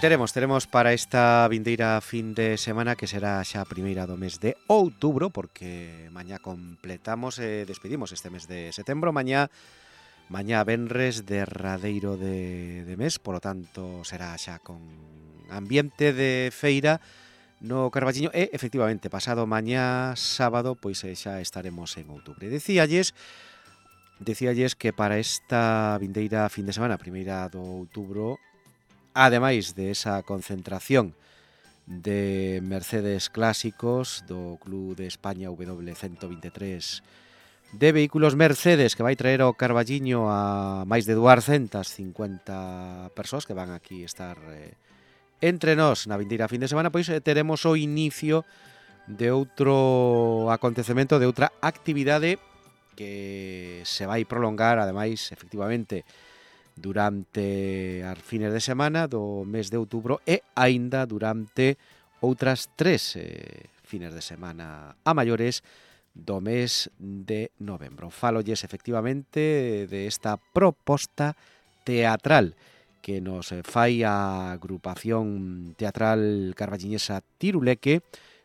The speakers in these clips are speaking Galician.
Teremos para esta vindeira fin de semana, que será xa a primeira do mes de outubro, porque mañá completamos e despedimos este mes de setembro. Mañá venres derradeiro de mes, polo tanto será xa con ambiente de feira no Carballiño e, efectivamente, pasado mañá sábado, pois xa estaremos en outubro. Decíalles que para esta vindeira fin de semana, primeira do outubro, ademais de esa concentración de Mercedes clásicos do Club de España W123 de vehículos Mercedes, que vai traer ao Carballiño a máis de 250 persoas que van aquí estar entre nós na vindeira fin de semana, pois teremos o inicio de outro acontecemento, de outra actividade que se vai prolongar, ademais, efectivamente, durante as fines de semana do mes de outubro e aínda durante outras 3 fines de semana a maiores do mes de novembro. Fálolles efectivamente de esta proposta teatral que nos fai a agrupación teatral carballiñesa Tiruleque,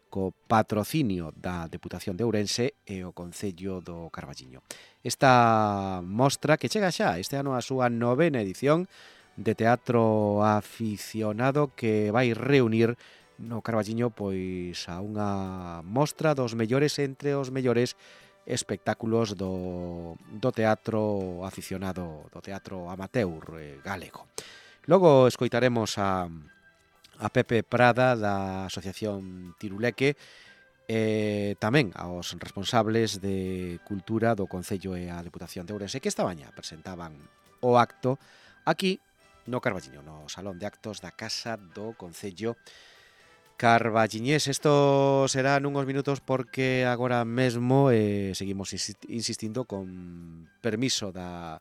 co patrocinio da Deputación de Ourense e o Concello do Carballiño. Esta mostra que chega xa este ano a súa 9ª edición de teatro aficionado, que vai reunir no Carballiño pois a unha mostra dos mellores entre os mellores espectáculos do teatro aficionado, do teatro amateur galego. Logo escoitaremos a Pepe Prada da Asociación Tiruleque e tamén aos responsables de Cultura do Concello e a Deputación de Ourense, que esta mañá presentaban o acto aquí no Carballiño, no Salón de Actos da Casa do Concello carballiñés. Isto será nunhos minutos, porque agora mesmo seguimos insistindo con permiso da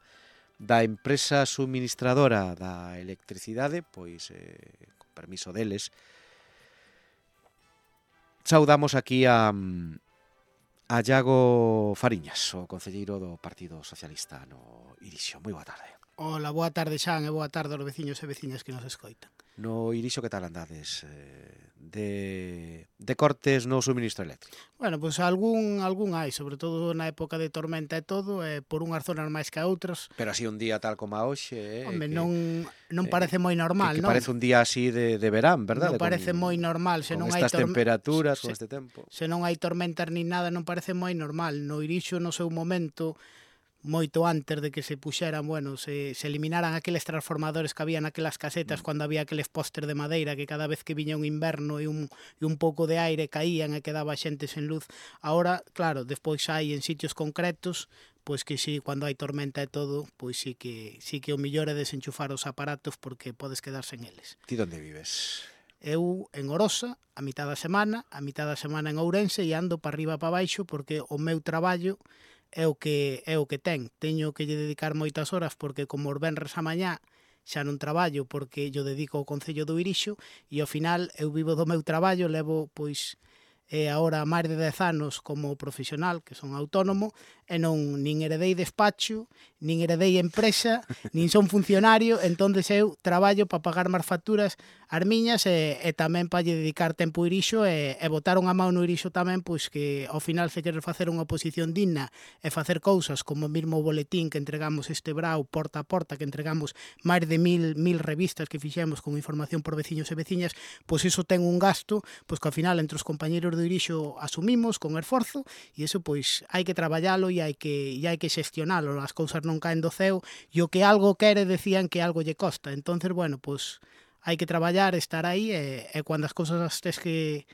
empresa suministradora da electricidade, pois permiso deles, saudamos aquí a Iago Fariñas, o concelleiro do Partido Socialista no Irixo. Moi boa tarde. Hola, boa tarde, Xan, e boa tarde aos veciños e veciñas que nos escoitan. No Irixo, que tal andades de cortes no suministro eléctrico? Bueno, pois algún hai, sobre todo na época de tormenta e todo, por unhas zonas máis que a outras. Pero así un día tal como a hoxe, Home, non parece moi normal, que non? parece un día así de verán, verdade? Non parece moi normal, se non hai estas temperaturas, con este tempo. Se non hai tormentas nin nada, non parece moi normal. No Irixo, no seu momento, moito antes de que se puxeran, bueno, se eliminaran aqueles transformadores que había naquelas casetas cando había aqueles póster de madeira que cada vez que viña un inverno e un pouco de aire caían e quedaba xente sen luz. Ahora, claro, despois hai en sitios concretos, pois que si, cando hai tormenta e todo, pois sí que o millor é desenchufar os aparatos, porque podes quedar sen eles. Ti onde vives? Eu en Orosa, a mitad da semana en Ourense, e ando para arriba para baixo, porque o meu traballo é o que teño que lle dedicar moitas horas, porque como os venres a mañá xa non traballo, porque yo dedico ao Concello do Irixo, e ao final eu vivo do meu traballo, levo pois agora máis de 10 anos como profesional, que son autónomo, e non nin heredei despacho, nin heredei empresa, nin son funcionario, entonces eu traballo para pagar máis facturas as miñas e tamén para lle dedicar tempo ao Irixo e botar unha mão no Irixo tamén, pois que ao final se queres facer unha oposición digna e facer cousas como o mesmo boletín que entregamos este brau porta a porta, que entregamos máis de 1000 revistas que fixemos con información por veciños e veciñas, pois iso ten un gasto, pois que ao final entre os compañeros do Irixo asumimos con esforzo, e iso pois hai que traballalo e hai que xestionalo, as cousas non caen do ceo, e o que algo quere decían que algo lle costa, entonces bueno, pois hai que traballar, estar aí e cando as cousas as tes que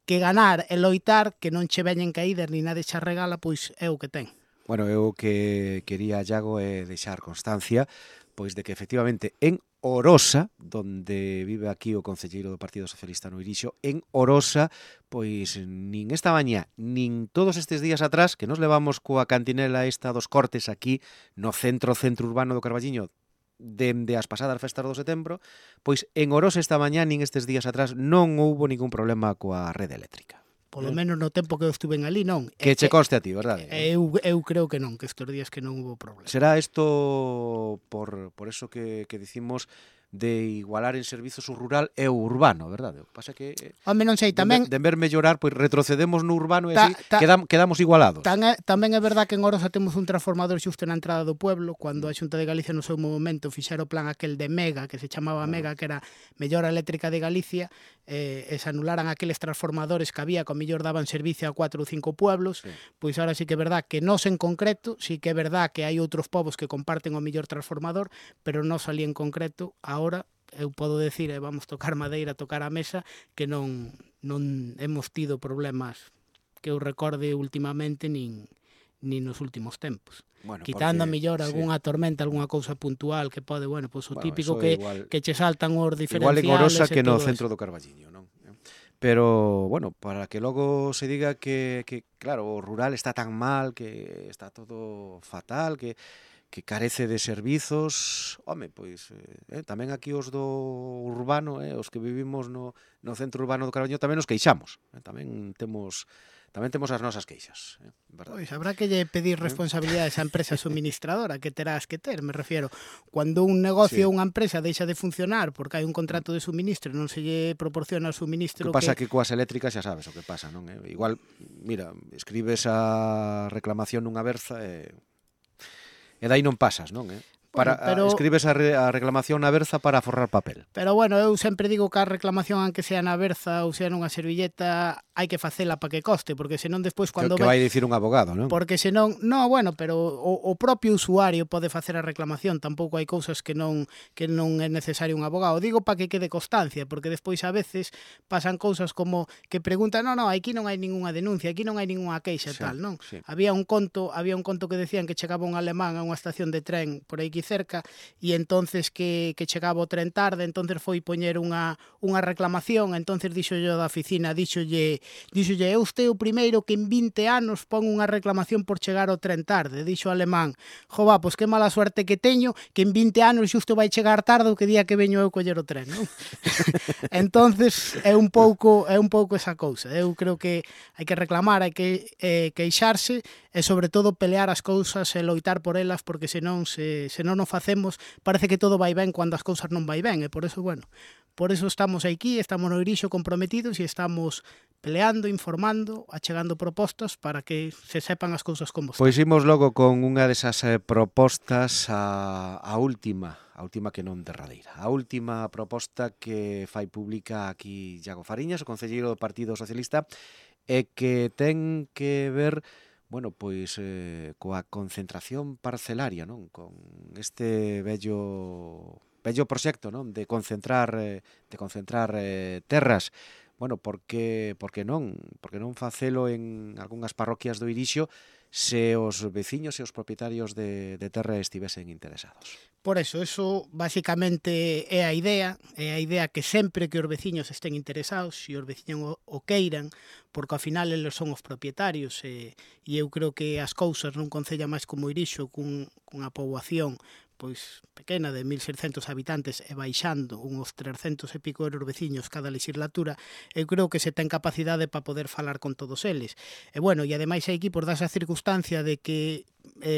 ganar e loitar, que non che veñen caídas ni nada xa regala, pois é o que ten. Bueno, eu que quería, Iago, deixar constancia pois de que efectivamente en Orosa, donde vive aquí o concelleiro do Partido Socialista no Irixo, en Orosa, pois nin esta mañá, nin todos estes días atrás, que nos levamos coa cantinela esta dos cortes aquí no centro urbano do Carballiño, dende as pasadas festas do setembro, pois en Orosa esta mañá, nin estes días atrás, non houbo ningún problema coa rede eléctrica. Polo menos no tempo que eu estuve ali, non. Que che conste a ti, verdade? Eu creo que non, que estes días que non hubo problema. Será isto por eso que dicimos de igualar en servizos o rural e o urbano, verdade? O que pasa é que Home, non sei, tamén de ver mellorar, pois retrocedemos no urbano e así ta- quedamos igualados. tamén é verdad que en Orosa temos un transformador xusto na entrada do pueblo, cando a Xunta de Galicia no seu momento fixera o plan aquel de Mega, que se chamaba Mega, que era Mellora Eléctrica de Galicia, e se anularan aqueles transformadores que había, que ao mellor daban servicio a 4 ou 5 pueblos, pois ahora sí que é verdad que nós en concreto, sí que é verdad que hai outros povos que comparten o mellor transformador, pero nós ali en concreto, ahora eu podo decir, e vamos tocar madeira, tocar a mesa, que non hemos tido problemas que eu recorde últimamente nin nos últimos tempos. Bueno, Quitando a porque, mellor sí. algunha tormenta, algunha cousa puntual que pode, bueno, pois o Bueno, típico eso igual- que che saltan os Igual diferenciales en Orosa e que no todo centro eso. do Carballiño, non? Pero, bueno, para que logo se diga que claro, o rural está tan mal, que está todo fatal, que carece de servizos, home, pois tamén aquí os do urbano, os que vivimos no centro urbano do Carballiño tamén nos queixamos, tamén temos as nosas queixas, verdade? Pois habrá que lle pedir responsabilidades á empresa suministradora, que terás que ter, me refiero. Cuando un negocio ou unha empresa deixa de funcionar porque hai un contrato de suministro e non se lle proporciona o suministro O que pasa que coas eléctricas xa sabes o que pasa, non? Igual, mira, escribes a reclamación nunha berza e dai non pasas, non? Escribes a reclamación na berza para forrar papel. Pero bueno, eu sempre digo que a reclamación, aunque sea na berza ou sea nunha servilleta, hai que facela para que coste, porque senón despois cando que vai dicir un abogado, non? Porque senón, no, bueno, pero o propio usuario pode facer a reclamación, tampouco hai cousas que non é necesario un abogado. Digo para que quede constancia, porque despois a veces pasan cousas como que preguntan, no, aquí non hai ningunha denuncia, aquí non hai ningunha queixa, tal, non? Sí. Había un conto que decían que chegaba un alemán a unha estación de tren por aí cerca e entonces que chegaba o tren tarde, entonces foi poñer unha reclamación, entonces dixolle da oficina, dixolle, é usted o primeiro que en 20 anos pon unha reclamación por chegar ao tren tarde. Dixo o alemán, jova, pois que mala suerte que teño, que en 20 anos xusto vai chegar tarde o que día que veño eu coller o tren, non? Entonces é un pouco esa cousa. Eu creo que hai que reclamar, hai que queixarse e sobre todo pelear as cousas e loitar por elas, porque senón o facemos, parece que todo vai ben cando as cousas non vai ben, e por eso, bueno, por eso estamos aquí, estamos no Irixo comprometidos e estamos peleando, informando, achegando propostas para que se sepan as cousas como están. Pois imos logo con unha desas propostas, a última que non derradeira. A última proposta que fai pública aquí Iago Fariñas, o concelleiro do Partido Socialista, e que ten que ver, bueno, pois coa concentración parcelaria, non? Con este vello proxecto, non? De concentrar terras. Bueno, por que non facelo en algunhas parroquias do Irixo se os veciños e os propietarios de terra estivesen interesados? Por eso basicamente é a idea que sempre que os veciños estén interesados, se os veciños o queiran, porque ao final eles son os propietarios e eu creo que as cousas nun concello máis como Irixo, cunha poboación pois pequena de 1.600 habitantes e baixando uns 300 e pico euros veciños cada legislatura, eu creo que se ten capacidade para poder falar con todos eles. E bueno, e ademais hai aquí por darse a circunstancia de que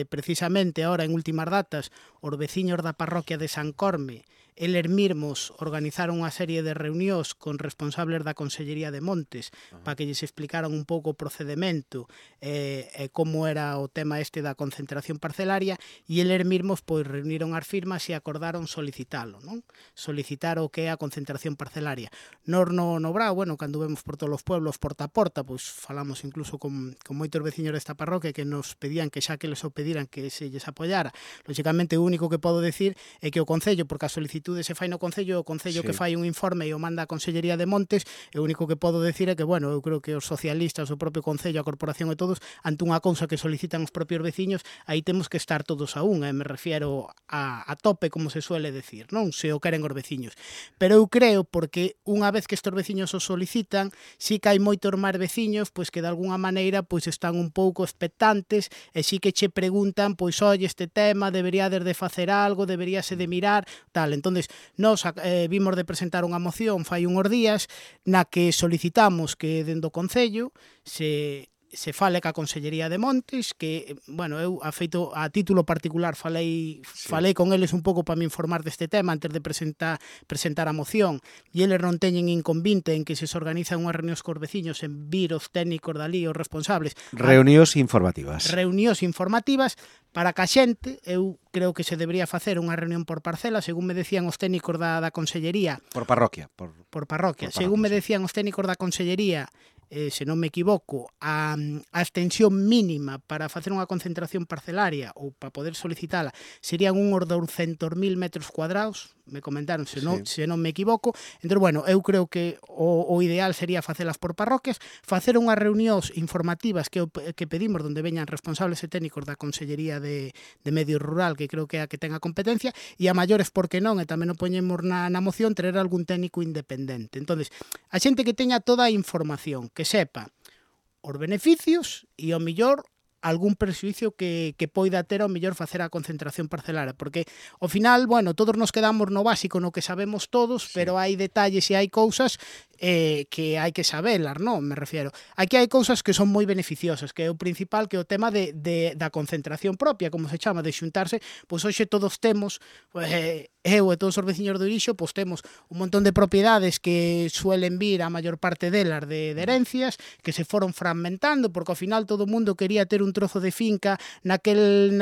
precisamente ahora en últimas datas os veciños da parroquia de San Corme eles mesmos organizaron unha serie de reunións con responsables da Consellería de Montes para que lles explicaran un pouco o procedemento e como era o tema este da concentración parcelaria e eles mesmos pois reuniron as firmas e acordaron solicitalo, non? Solicitar o que é a concentración parcelaria. Nós no Brao, bueno, cando vemos por todos os pueblos porta a porta, pois falamos incluso con moitos veciños desta parroquia que nos pedían que xa que les o pediran que se lles apoiara. Lógicamente o único que podo decir é que o Concello, porque a solicitude se fai no Concello, o Concello que fai un informe e o manda a Consellería de Montes, e o único que podo decir é que, bueno, eu creo que os socialistas, o propio Concello, a Corporación e todos, ante unha cousa que solicitan os propios veciños, aí temos que estar todos a unha, me refiero a tope, como se suele decir, non? Se o queren os veciños. Pero eu creo, porque unha vez que estes veciños o solicitan, sí que hai moitos máis veciños, pois que de alguna maneira pois están un pouco expectantes e sí que che preguntan, pois, oye, este tema deberíades de facer algo, deberíase de mirar, tal. Entón, nós vimos de presentar unha moción fai unhos días na que solicitamos que dende o Concello se se fale ca Consellería de Montes, que, bueno, eu a título particular falei con eles un pouco para me informar deste tema antes de presentar a moción, e eles non teñen inconvinte en que se organizan unhas reunións cos veciños en vir os técnicos dali, os responsables. Reunións informativas. Reunións informativas para que a xente, eu creo que se debería facer unha reunión por parcela, según me decían os técnicos da Consellería. Por parroquia. Por parroquia. Según me decían os técnicos da Consellería, se non me equivoco, a extensión mínima para facer unha concentración parcelaria ou para poder solicitala serían uns 200.000 metros cuadrados, me comentaron, se non me equivoco. Entón, bueno, eu creo que o ideal sería facelas por parroquias, facer unhas reunións informativas que pedimos onde veñan responsables e técnicos da Consellería de Medio Rural, que creo que é a que ten a competencia, e a maiores, porque non, e tamén o poñemos na moción, traer algún técnico independente. Entón, a xente que teña toda a información, que sepa os beneficios e, ao millor, algún prexuicio que poida ter ao millor facer a concentración parcelaria, porque ao final, bueno, todos nos quedamos no básico, no que sabemos todos, pero hai detalles e hai cousas que hai que sabelas, non? Me refiero. Aquí hai cousas que son moi beneficiosas, que é o principal, que é o tema da concentración propia, como se chama, de xuntarse. Pois hoxe todos temos, eu e todos os veciños do Irixo, pois temos un montón de propiedades que suelen vir a maior parte delas de herencias, que se foron fragmentando, porque ao final todo o mundo quería ter un trozo de finca naquela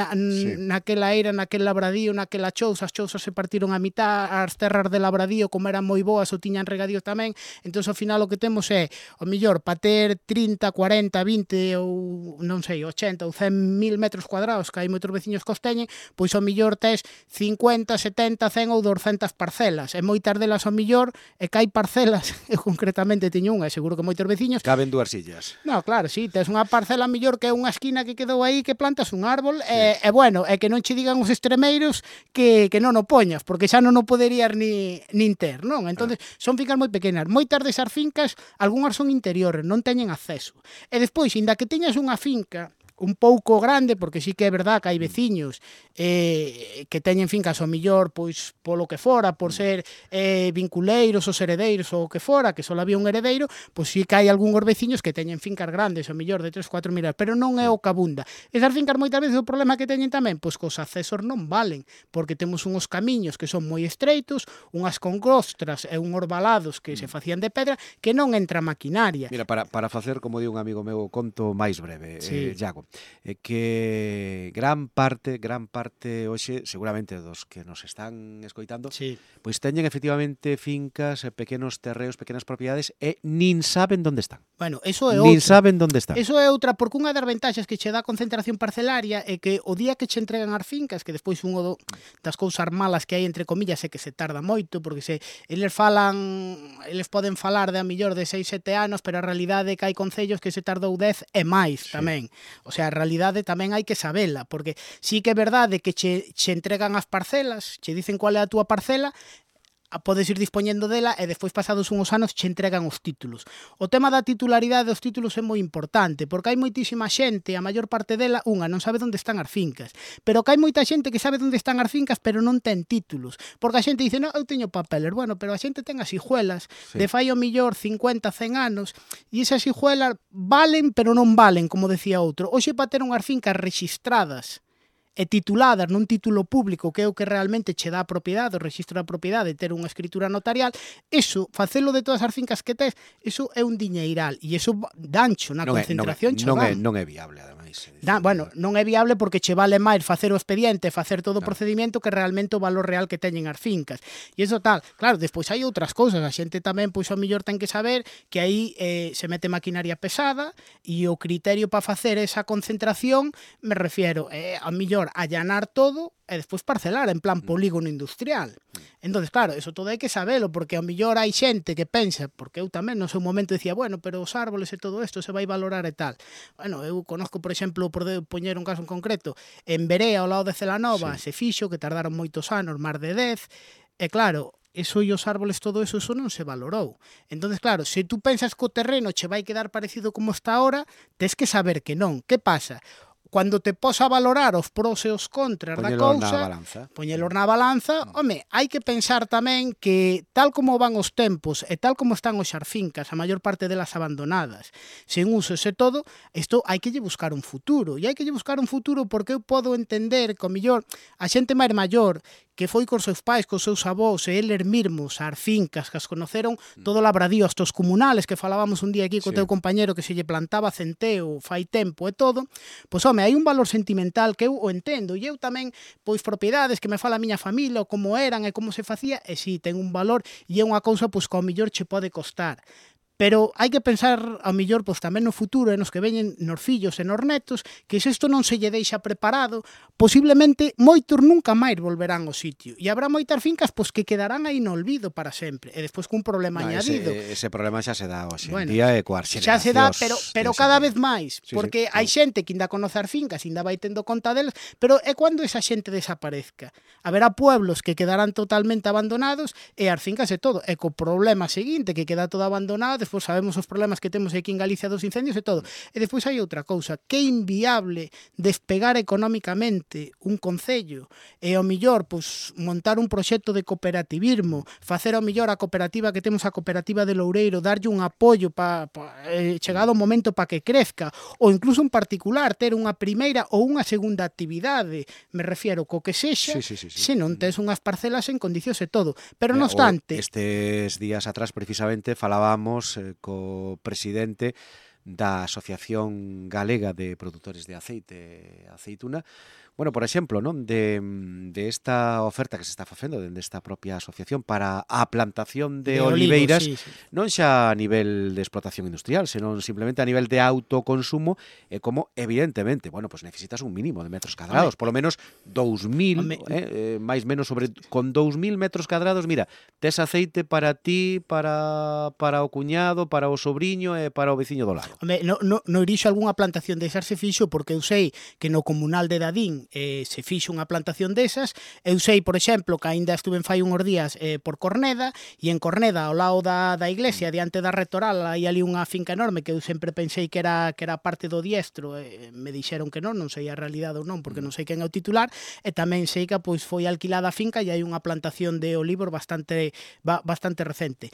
era, naquel labradío, naquela chousa. As chousas se partiron a mitad, as terras de labradío, como eran moi boas, o tiñan regadío tamén. Entón, ao final, o que temos é, ao millor, para ter 30, 40, 20 ou, non sei, 80 ou 100.000 metros cuadrados, que hai moitos veciños que os teñen, pois ao millor tes 50, 70, 100 ou 200 parcelas. E moitas delas, ao millor, e que hai parcelas, eu concretamente teño unha, seguro que moitos veciños... Caben 2 sillas. No, claro, sí, tes unha parcela mellor que unha esquina que quedou aí, que plantas un árbol, e bueno, é que non che digan os extremeiros que non o poñas, porque xa non o poderías nin ter, non? Entón, son fincas moi pequenas. Moitas desas fincas, algunhas son interiores, non teñen acceso. E despois, inda que teñas unha finca un pouco grande, porque sí que é verdad que hai veciños que teñen fincas ao millor, pois polo que fora, por ser vinculeiros, os heredeiros ou o que fora, que só había un heredeiro, pois sí que hai algúns veciños que teñen fincas grandes, ao millor de 3-4 mil, pero non é o que abunda. Esas fincas moitas veces o problema que teñen tamén, pois que os accesos non valen, porque temos uns camiños que son moi estreitos, unhas concostras e unhos valados que se facían de pedra, que non entra maquinaria. Mira, para facer, como di un amigo meu, conto máis breve, Iago, que gran parte hoxe, seguramente dos que nos están escoitando, pois teñen efectivamente fincas, pequenos terreos, pequenas propiedades e nin saben onde están. Bueno, eso é outra. Nin saben onde están. Eso é outra, porque unha das ventaxas que che dá a concentración parcelaria é que o día que che entregan as fincas, que despois unha das cousas malas que hai entre comillas é que se tarda moito, porque eles poden falar de a millor de 6-7 anos, pero a realidade é que hai concellos que se tardou 10 e máis tamén. O sea, a realidade tamén hai que sabela, porque sí que é verdade que che entregan as parcelas, che dicen cual é a túa parcela, podes ir dispoñendo dela e despois pasados uns anos che entregan os títulos. O tema da titularidade dos títulos é moi importante, porque hai moitísima xente, a maior parte dela, non sabe onde están as fincas, pero que hai moita xente que sabe onde están as fincas pero non ten títulos, porque a xente dice, non, eu teño papeles, bueno, pero a xente ten as hijuelas de fai o millor 50, 100 anos, e esas hijuelas valen pero non valen, como decía outro. Hoxe, para ter unhas fincas rexistradas e tituladas nun título público, que é o que realmente che dá a propiedade, o registro da propiedade, ter unha escritura notarial, eso, facelo de todas as fincas que tes, eso é un diñeiral, e eso dancho na concentración che dan. Non é viable, ademais. Bueno, non é viable porque che vale máis facer o expediente, facer todo o procedimento, que realmente o valor real que teñen as fincas. E iso tal, claro, despois hai outras cousas, a xente tamén, pois ao mellor ten que saber que aí se mete maquinaria pesada, e o criterio para facer esa concentración, me refiero, ao mellor allanar todo e despois parcelar en plan polígono industrial. Entonces, claro, eso todo hai que sabelo, porque ao mellor hai xente que pensa, porque eu tamén no seu momento dicía, bueno, pero os árboles e todo isto se vai valorar e tal. Bueno, eu conozco, por exemplo, por poñer un caso en concreto, en Berea, ao lado de Celanova, se fixo, que tardaron moitos anos, máis de 10, e claro, eso e os árboles, todo eso non se valorou. Entonces, claro, se tú pensas que o terreno che vai quedar parecido como está ahora, tes que saber que non. Que pasa? Cando te pos a valorar os pros e os contras da cousa, poñelos na balanza, home, hai que pensar tamén que tal como van os tempos e tal como están os xarfincas, a maior parte delas abandonadas, sen usos e todo, isto hai que lle buscar un futuro. E hai que lle buscar un futuro porque eu podo entender que, ao millor, a xente máis maior que foi cos seus pais, cos seus avós, e eles mesmos, as fincas, que as conoceron todo o labradío, hasta os comunales, que falábamos un día aquí co teu compañero que se lle plantaba centeo fai tempo e todo, pois, home, hai un valor sentimental que eu o entendo, e eu tamén, pois, propiedades que me fala a miña familia, ou como eran e como se facía, e si, ten un valor, e é unha cousa, pois, que ao millor che pode costar. Pero hai que pensar, ao millor, pois, tamén no futuro e nos que veñen nos fillos e nos netos, que se isto non se lle deixa preparado, posiblemente moitos nunca máis volverán ao sitio. E habrá moitas fincas pois que quedarán aí no olvido para sempre. E despois cun problema añadido. Ese problema xa se dá hoxe en día e coas xeracións. Xa se dá, pero cada vez máis. Porque hai xente que ainda conoce as fincas, ainda vai tendo conta delas, pero é cando esa xente desaparezca. Haberá pueblos que quedarán totalmente abandonados e as fincas e todo. E co problema seguinte, que queda todo abandonado, despois sabemos os problemas que temos aquí en Galicia dos incendios e todo. E despois hai outra cousa, que é inviable despegar económicamente un concello e ao millor pois, montar un proxecto de cooperativismo, facer ao millor a cooperativa que temos, a cooperativa de Loureiro, darlle un apoio chegado o momento para que crezca, ou incluso en particular ter unha primeira ou unha segunda actividade, me refiero co que sexa, se non tes unhas parcelas en condicións e todo. Pero non obstante... Estes días atrás precisamente falábamos co presidente da Asociación Galega de Produtores de Aceite e Aceituna. Bueno, por exemplo, non de esta oferta que se está facendo dende esta propia asociación para a plantación de oliveiras, non xa a nivel de explotación industrial, senón simplemente a nivel de autoconsumo, e como, evidentemente, bueno, pues necesitas un mínimo de metros cadrados, polo menos 2.000, máis menos con 2.000 metros cadrados, mira, tes aceite para ti, para o cuñado, para o sobrinho e para o veciño do lado. No irixo algunha plantación desas se fixo, porque eu sei que no comunal de Dadín se fixo unha plantación desas. Eu sei, por exemplo, que aínda estuve fai unhos días por Corneda, e en Corneda, ao lado da iglesia, diante da Rectoral, hai ali unha finca enorme que eu sempre pensei que era parte do Diestro, me dixeron que non sei a realidade ou non, porque non sei quen é o titular, e tamén sei que pois foi alquilada a finca e hai unha plantación de olivos bastante recente.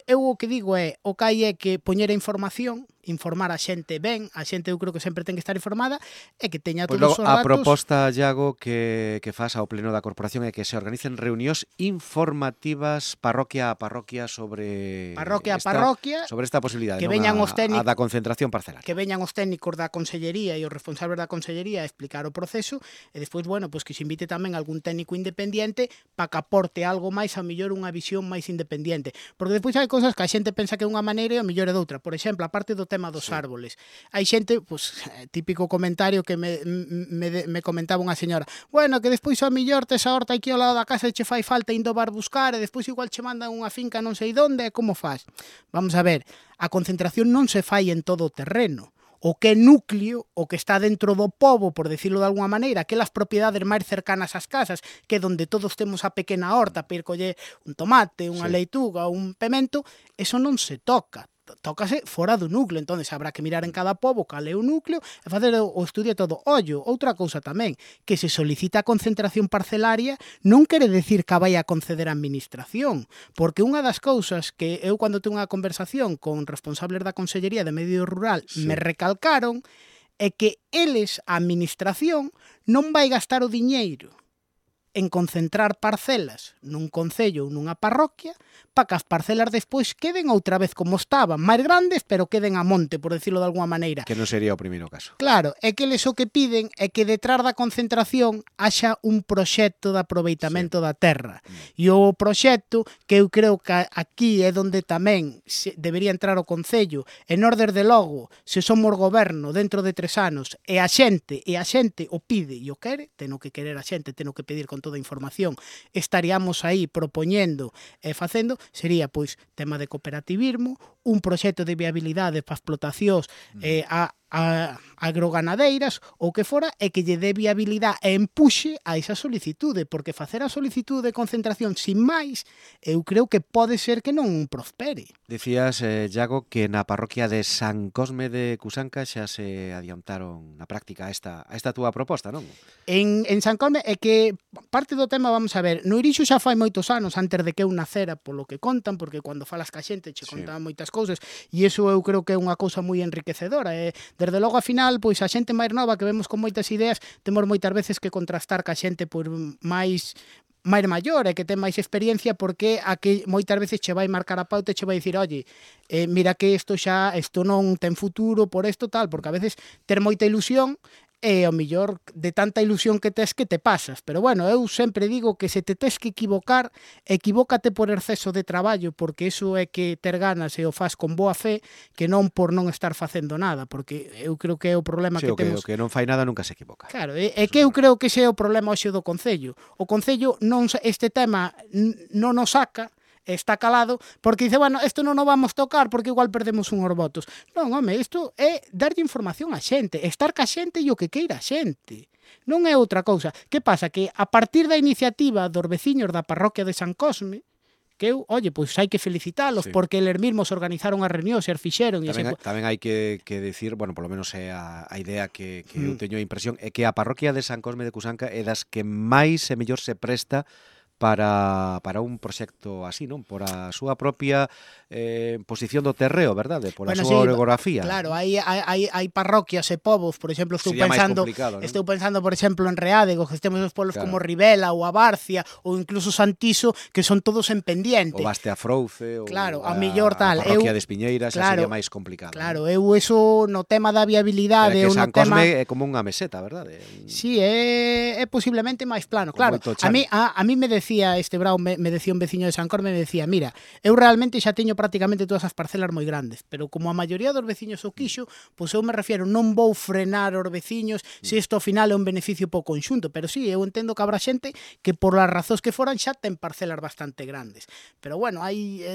Eu o que digo é, o que hai é que poñer a información, informar a xente ben, a xente eu creo que sempre ten que estar informada e que teña todos os datos. A proposta, Iago, que faz ao pleno da corporación é que se organicen reunións informativas parroquia a parroquia sobre esta posibilidade, que veñan os técnicos, a da concentración parcelar. Que veñan os técnicos da consellería e os responsables da consellería a explicar o proceso, e despois, bueno, pois que se invite tamén algún técnico independiente para que aporte algo máis, a mellor unha visión máis independiente. Porque despois hai cousas que a xente pensa que é unha maneira e a mellor é doutra. Por exemplo, a parte do tema dos árboles. Hai xente, pois, típico comentario que me comentaba unha señora, bueno, que despois ao millor tes a horta aquí ao lado da casa e che fai falta indo bar buscar e despois igual che mandan unha finca non sei onde, como faz? Vamos a ver, a concentración non se fai en todo o terreno. O que é núcleo, o que está dentro do pobo, por decirlo de alguna maneira, aquelas propiedades máis cercanas ás casas, que é donde todos temos a pequena horta para ir coller un tomate, unha leituga, un pemento, eso non se toca. Tócase fora do núcleo, entonces habrá que mirar en cada pobo cal é o núcleo e facer o estudio todo. Ollo, outra cousa tamén, que se solicita a concentración parcelaria non quere decir que a vai a conceder a administración, porque unha das cousas que eu cando tengo unha conversación con responsables da Consellería de Medio Rural me recalcaron é que eles, a administración, non vai gastar o diñeiro en concentrar parcelas nun concello ou nunha parroquia para que as parcelas despois queden outra vez como estaban, máis grandes, pero queden a monte, por decirlo de alguna maneira. Que non sería o primeiro caso. Claro, é que eles o que piden é que detrás da concentración haxa un proxecto de aproveitamento da terra. E o proxecto, que eu creo que aquí é onde tamén debería entrar o Concello, e nós, desde logo, se somos goberno dentro de 3 anos, e a xente o pide e o quere, teno que querer a xente, teno que pedir con toda a información, estaríamos aí propoñendo e facendo, sería, pois, tema de cooperativismo, un proxecto de viabilidade para explotacións agroganadeiras ou que fora, e que lle dé viabilidade e empuxe a esa solicitude, porque facer a solicitude de concentración sin máis, eu creo que pode ser que non prospere. Dicías, Iago, que na parroquia de San Cosme de Cusanca xa se adiantaron na práctica a esta túa proposta, non? En San Cosme é que parte do tema, vamos a ver, no Irixo xa fai moitos anos antes de que eu nacera, polo que contan, porque cando falas ca xente che contan moitas cousas, e iso eu creo que é unha cousa moi enriquecedora, e desde logo a final, pois a xente máis nova que vemos con moitas ideas, temos moitas veces que contrastar ca xente por máis maior e que ten máis experiencia, porque a que moitas veces che vai marcar a pauta e che vai dicir, oye, mira que isto non ten futuro por isto tal, porque a veces ter moita ilusión e ao millor de tanta ilusión que tes que te pasas. Pero bueno, eu sempre digo que se te tes que equivocar, equivócate por exceso de traballo, porque iso é que ter ganas e o faz con boa fe, que non por non estar facendo nada, porque eu creo que é o problema que temos. O que non fai nada nunca se equivoca. Claro, é que eu creo que ese é o problema hoxe do Concello. O Concello este tema non o saca, está calado, porque dice, bueno, isto non o vamos tocar porque igual perdemos unhos votos. Non, home, isto é darlle información á xente, estar ca xente e o que queira a xente. Non é outra cousa. Que pasa? Que a partir da iniciativa dos veciños da parroquia de San Cosme, que eu, oye, pois hai que felicitalos, porque eles mesmos organizaron as reunións e as fixeron. Tamén hai que decir, bueno, polo menos é a idea que eu teño a impresión, é que a parroquia de San Cosme de Cusanca é das que máis e mellor se presta para un proxecto así, non? Por a súa propia posición do terreo, verdade? Por a súa orografía. Claro, hai parroquias e povos, por exemplo, estou pensando, por exemplo, en Reádego, que temos os polos como Rivela ou a Barcia ou incluso Santiso, que son todos en pendiente. O Basteafrouce, ou a mellor tal. A parroquia de Espiñeiras, xa sería máis complicado. Claro, eu eso no tema da viabilidade, que San Cosme é como unha meseta, verdade? Sí, é posiblemente máis plano. Claro, a mí me decía este Brao, me decía un veciño de San Cosme, me decía, mira, eu realmente xa teño prácticamente todas as parcelas moi grandes, pero como a maioría dos veciños o quixo, pois eu me refiero, non vou frenar os veciños se isto ao final é un beneficio po conxunto, pero sí, eu entendo que habrá xente que por as razóns que foran xa ten parcelas bastante grandes. Pero bueno,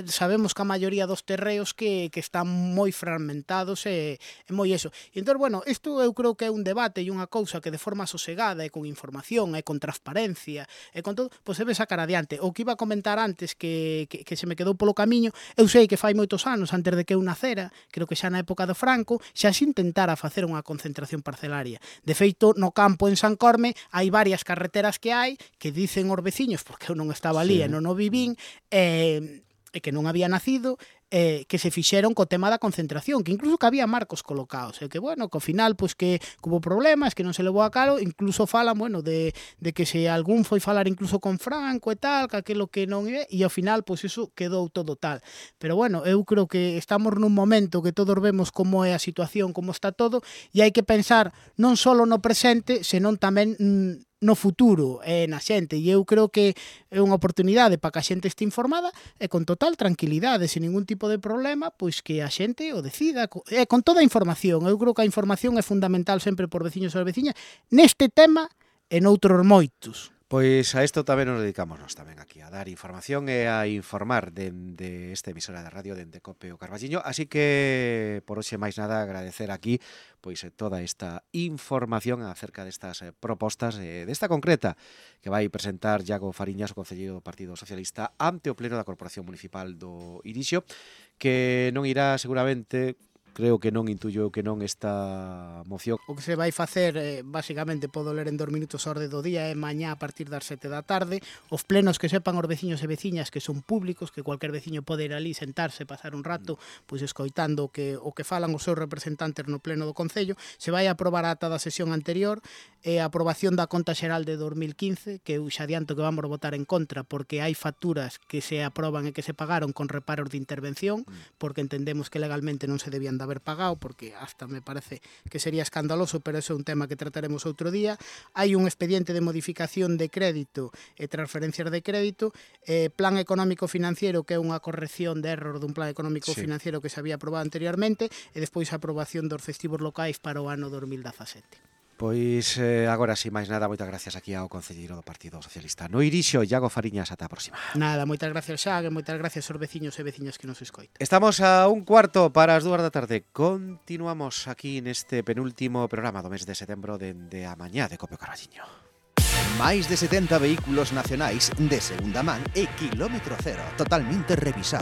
sabemos que a maioría dos terreos que están moi fragmentados e moi eso. E entón, bueno, isto eu creo que é un debate e unha cousa que de forma sosegada e con información e con transparencia e con todo, pois se ve sacar adiante. O que iba a comentar antes que se me quedou polo camiño, eu sei que fai moitos anos antes de que eu nacera, creo que xa na época do Franco, xa se intentara facer unha concentración parcelaria. De feito, no campo en San Cosme hai varias carreteras que hai que dicen os veciños, porque eu non estaba ali e non o vivín, e que non había nacido, que se fixeron co tema da concentración, que incluso que había marcos colocados, e que, bueno, que ao final, pois que hubo problemas, que non se levou a calo, incluso falan, bueno, de que se algún foi falar incluso con Franco e tal, que aquilo que non é, e ao final, pois iso quedou todo tal. Pero, bueno, eu creo que estamos nun momento que todos vemos como é a situación, como está todo, e hai que pensar non só no presente, senón tamén no futuro e na xente, e eu creo que é unha oportunidade para que a xente este informada e con total tranquilidade, sen ningún tipo de problema, pois que a xente o decida, e con toda a información. Eu creo que a información é fundamental sempre por veciños e veciñas neste tema e noutros moitos. Pois a isto tamén nos dedicamos nós tamén aquí, a dar información e a informar de esta emisora de radio dende Cope o Carballiño, así que por hoxe máis nada agradecer aquí pois toda esta información acerca destas propostas, desta concreta que vai presentar Iago Fariñas, o concelleiro do Partido Socialista, ante o Pleno da Corporación Municipal do Irixo, que non irá seguramente, creo que non intuyo que non esta moción. O que se vai facer, basicamente, podo ler en 2 minutos a orde do día, é mañá a partir das 7 da tarde. Os plenos que sepan os veciños e veciñas que son públicos, que cualquier veciño pode ir ali, sentarse, pasar un rato, pois escoitando o que falan os seus representantes no pleno do Concello. Se vai aprobar a ata da sesión anterior, a aprobación da conta xeral de 2015, que eu xa adianto que vamos votar en contra, porque hai facturas que se aproban e que se pagaron con reparos de intervención, porque entendemos que legalmente non se debían haber pagado, porque hasta me parece que sería escandaloso, pero eso é un tema que trataremos outro día. Hai un expediente de modificación de crédito e transferencias de crédito, plan económico financiero, que é unha corrección de error dun plan económico financiero que se había aprobado anteriormente, e despois a aprobación dos festivos locais para o ano 2017. Pois agora, si máis nada, moitas gracias aquí ao concelleiro do Partido Socialista no Irixo, Iago Fariñas, ata a próxima. Nada, moitas gracias, Xague, moitas gracias aos veciños e veciñas que nos escoitan. Estamos a 1:15 para as 2 da tarde. Continuamos aquí neste penúltimo programa do mes de setembro dende a mañá de Cope Carballiño. Máis de 70 vehículos nacionais de segunda man e kilómetro cero, totalmente revisados.